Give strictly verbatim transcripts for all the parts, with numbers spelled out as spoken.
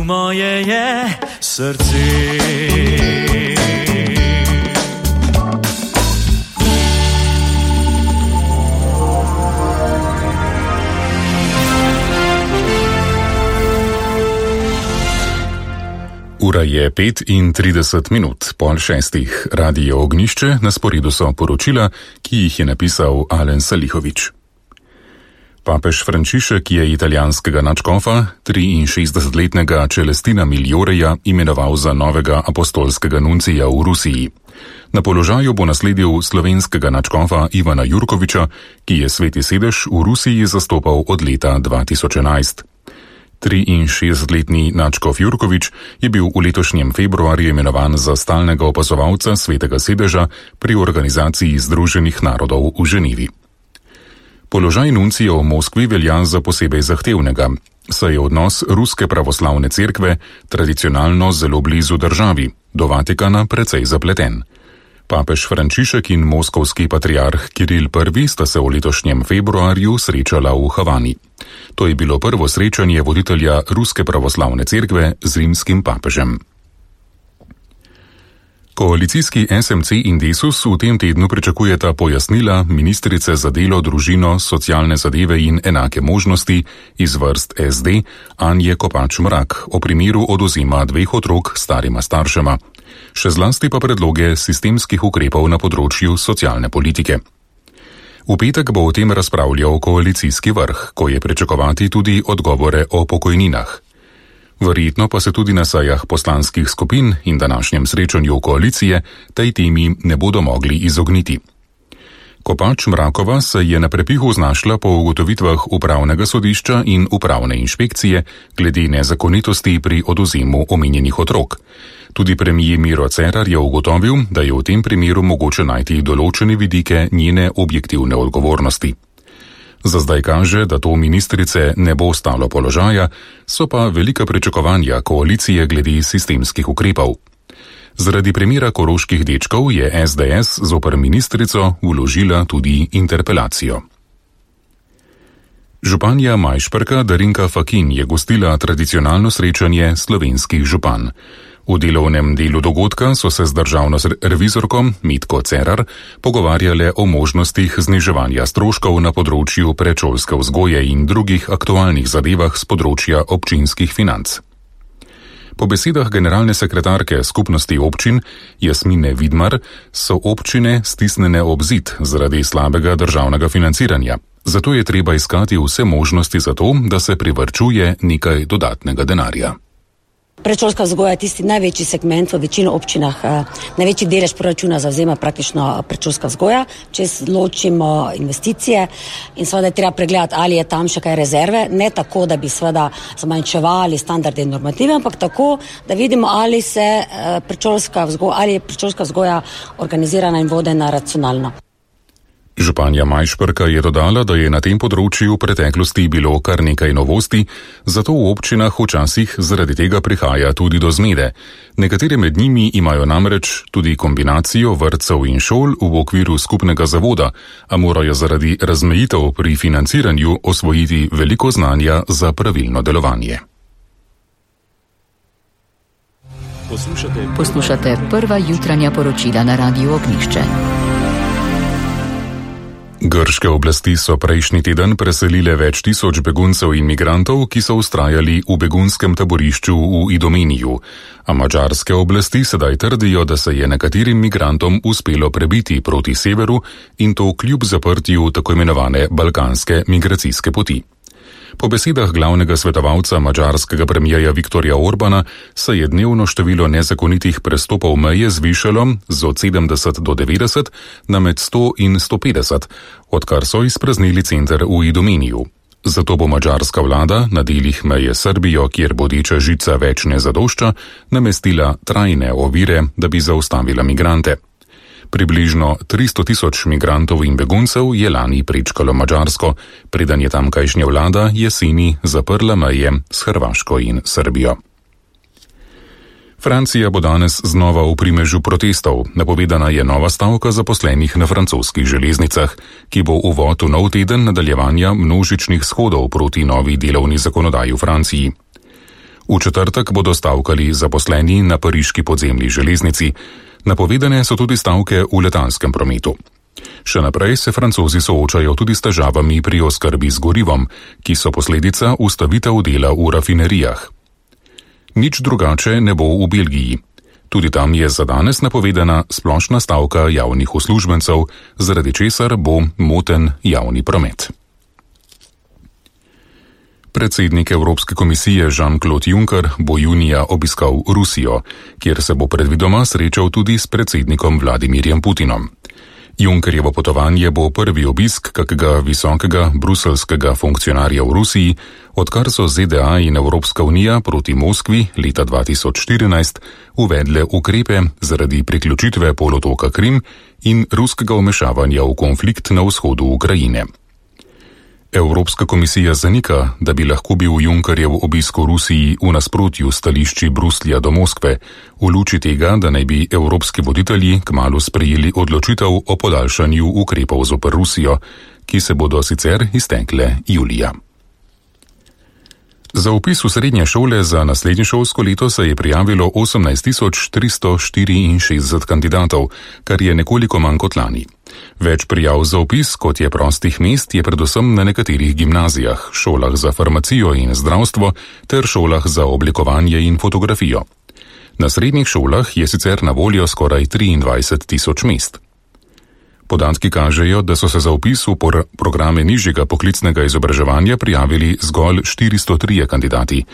moje je srce. Ura je pet in trideset minut, pol šestih. Radio Ognjišče, na sporedu so poročila, ki jih je napisal Alen Salihovič. Papež Frančišek je italijanskega nadškofa, triinšestdesetletnega Celestina Miglioreja, imenoval za novega apostolskega nuncija v Rusiji. Na položaju bo nasledil slovenskega nadškofa Ivana Jurkoviča, ki je Sveti sedež v Rusiji zastopal od leta dva tisoč enajst. triinšestdesetletni nadškof Jurkovič je bil v letošnjem februarju imenovan za stalnega opazovalca Svetega sedeža pri Organizaciji Združenih narodov v Ženevi. Položaj nuncija v Moskvi velja za posebej zahtevnega, saj je odnos Ruske pravoslavne cerkve tradicionalno zelo blizu državi, do Vatikana precej zapleten. Papež Frančišek in moskovski patriarh Kiril I sta se v letošnjem februarju srečala v Havani. To je bilo prvo srečanje voditelja Ruske pravoslavne cerkve z rimskim papežem. Koalicijski es em ce in Desus v tem tednu pričakujeta pojasnila ministrice za delo, družino, socialne zadeve in enake možnosti iz vrst es de Anje Kopač Mrak o primeru odvzema dveh otrok starima staršema. Še zlasti pa predloge sistemskih ukrepov na področju socialne politike. V petek bo o tem razpravljal koalicijski vrh, ko je pričakovati tudi odgovore o pokojninah. Verjetno pa se tudi na sejah poslanskih skupin in današnjem srečanju koalicije tej temi ne bodo mogli izogniti. Kopač Mrakova se je na prepihu znašla po ugotovitvah upravnega sodišča in upravne inšpekcije glede nezakonitosti pri odvzemu omenjenih otrok. Tudi premijer Miro Cerar je ugotovil, da je v tem primeru mogoče najti določene vidike njene objektivne odgovornosti. Za zdaj kaže, da to ministrice ne bo stalo položaja, so pa velika pričakovanja koalicije glede sistemskih ukrepov. Zaradi primera koroških dečkov je es de es zoper ministrico vložila tudi interpelacijo. Županja Majšperka Darinka Fakin je gostila tradicionalno srečanje slovenskih župan. V delovnem delu dogodka so se z državno revizorko Mitko Cerar pogovarjale o možnostih zniževanja stroškov na področju predšolske vzgoje in drugih aktualnih zadevah z področja občinskih financ. Po besedah generalne sekretarke skupnosti občin Jasmine Vidmar so občine stisnjene ob zid zaradi slabega državnega financiranja. Zato je treba iskati vse možnosti za to, da se privarčuje nekaj dodatnega denarja. Predšolska vzgoja je tisti največji segment v večino občinah, največji delež proračuna zavzema praktično predšolska vzgoja, če ločimo investicije in seveda je treba pregledati, ali je tam še kaj rezerve, ne tako, da bi seveda zmanjševali standarde in normative, ampak tako, da vidimo, ali se predšolska vzgoja, ali je predšolska vzgoja organizirana in vodena racionalno. Županja Majšperka je dodala, da je na tem področju v preteklosti bilo kar nekaj novosti, zato v občinah včasih zaradi tega prihaja tudi do zmede. Nekatere med njimi imajo namreč tudi kombinacijo vrtcev in šol v okviru skupnega zavoda, a morajo zaradi razmejitev pri financiranju osvojiti veliko znanja za pravilno delovanje. Poslušate, Poslušate prva jutranja poročila na Radiu Ognjišče. Grške oblasti so prejšnji teden preselile več tisoč beguncev in migrantov, ki so vztrajali v begunskem taborišču v Idomeniju, a madžarske oblasti sedaj trdijo, da se je nekaterim migrantom uspelo prebiti proti severu in to kljub zaprtju tako imenovane balkanske migracijske poti. Po besedah glavnega svetovalca madžarskega premijerja Viktorja Orbana se je dnevno število nezakonitih prestopov meje zvišalo z od sedemdeset do devetdeset na med sto in sto petdeset, odkar so izpraznili center v Idomeniju. Zato bo madžarska vlada na delih meje Srbijo, kjer bodeča žica več ne zadošča, namestila trajne ovire, da bi zaustavila migrante. Približno tristo tisoč migrantov in beguncev je lani prečkalo Madžarsko, preden je tamkajšnja vlada jeseni zaprla meje s Hrvaško in Srbijo. Francija bo danes znova v primežu protestov. Napovedana je nova stavka zaposlenih na francoskih železnicah, ki bo uvod v nov teden nadaljevanja množičnih shodov proti novi delovni zakonodaji v Franciji. V četrtek bodo stavkali zaposleni na pariški podzemni železnici. Napovedane so tudi stavke v letalskem prometu. Še naprej se Francozi soočajo tudi s težavami pri oskrbi z gorivom, ki so posledica ustavitev dela v rafinerijah. Nič drugače ne bo v Belgiji. Tudi tam je za danes napovedana splošna stavka javnih uslužbencev, zaradi česar bo moten javni promet. Predsednik Evropske komisije Jean-Claude Juncker bo junija obiskal Rusijo, kjer se bo predvidoma srečal tudi s predsednikom Vladimirjem Putinom. Junckerjevo potovanje bo prvi obisk kakega visokega bruselskega funkcionarja v Rusiji, odkar so Z D A in Evropska unija proti Moskvi leta dva tisoč štirinajst uvedle ukrepe zaradi priključitve polotoka Krim in ruskega vmešavanja v konflikt na vzhodu Ukrajine. Evropska komisija zanika, da bi lahko bil Junckerjev obisk v Rusiji v nasprotju stališči Bruslja do Moskve, v luči tega, da naj bi evropski voditelji kmalu sprejeli odločitev o podaljšanju ukrepov zoper Rusijo, ki se bodo sicer iztekle julija. Za vpis v srednje šole za naslednje šolsko leto se je prijavilo osemnajst tisoč tristo štiriinšestdeset kandidatov, kar je nekoliko manj kot lani. Več prijav za vpis, kot je prostih mest, je predvsem na nekaterih gimnazijah, šolah za farmacijo in zdravstvo ter šolah za oblikovanje in fotografijo. Na srednjih šolah je sicer na voljo skoraj triindvajset tisoč mest. Podatki kažejo, da so se za vpis v programe nižjega poklicnega izobraževanja prijavili zgolj štiristo trije kandidati,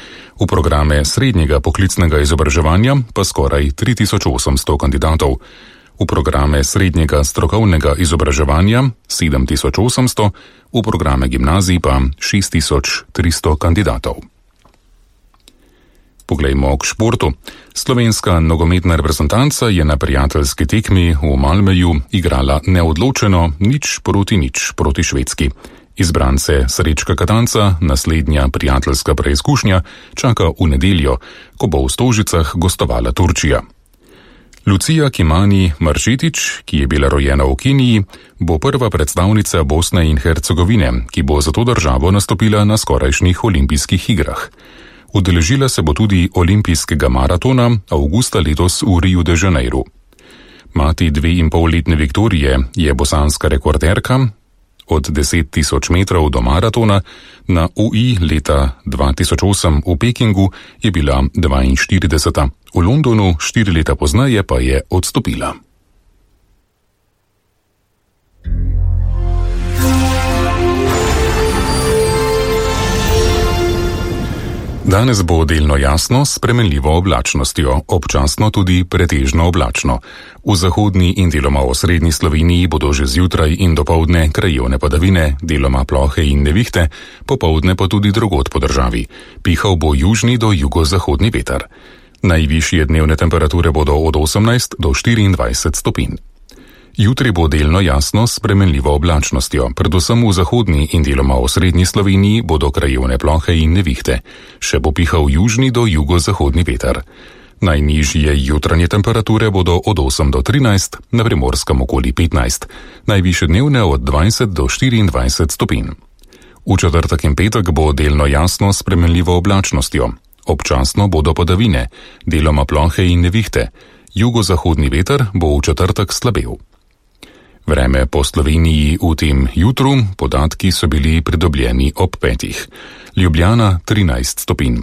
v programe srednjega poklicnega izobraževanja pa skoraj tri tisoč osemsto kandidatov, v programe srednjega strokovnega izobraževanja sedem tisoč osemsto, v programe gimnazij pa šest tisoč tristo kandidatov. Poglejmo k športu. Slovenska nogometna reprezentanca je na prijateljski tekmi v Malmöju igrala neodločeno nič proti nič proti Švedski. Izbrance Srečka Katanca naslednja prijateljska preizkušnja čaka v nedeljo, ko bo v Stožicah gostovala Turčija. Lucija Kimani Maršetič, ki je bila rojena v Keniji, bo prva predstavnica Bosne in Hercegovine, ki bo za to državo nastopila na skorajšnjih olimpijskih igrah. Udeležila se bo tudi olimpijskega maratona avgusta letos v Riu de Janeiro. Mati dve in pol letne Viktorije je bosanska rekorderka. Od deset tisoč metrov do maratona na U I leta dva tisoč osem v Pekingu je bila dvainštirideseta. V Londonu štiri leta pozneje pa je odstopila. Danes bo delno jasno s spremenljivo oblačnostjo, občasno tudi pretežno oblačno. V zahodni in deloma osrednji Sloveniji bodo že zjutraj in dopoldne krajevne padavine, deloma plohe in nevihte, popoldne pa tudi drugod po državi. Pihal bo južni do jugozahodni veter. Najvišje dnevne temperature bodo od osemnajst do štiriindvajset stopinj. Jutri bo delno jasno s spremenljivo oblačnostjo, predvsem v zahodni in deloma osrednji Sloveniji bodo krajevne plohe in nevihte. Še bo pihal južni do jugozahodni veter. Najnižje jutranje temperature bodo od osem do trinajst, na Primorskem okoli petnajst, najvišje dnevne od dvajset do štiriindvajset stopinj. V četrtek in petek bo delno jasno s spremenljivo oblačnostjo. Občasno bodo padavine, deloma plohe in nevihte. Jugozahodni veter bo v četrtek slabel. Vreme po Sloveniji v tem jutru, podatki so bili pridobljeni ob petih. Ljubljana trinajst stopinj,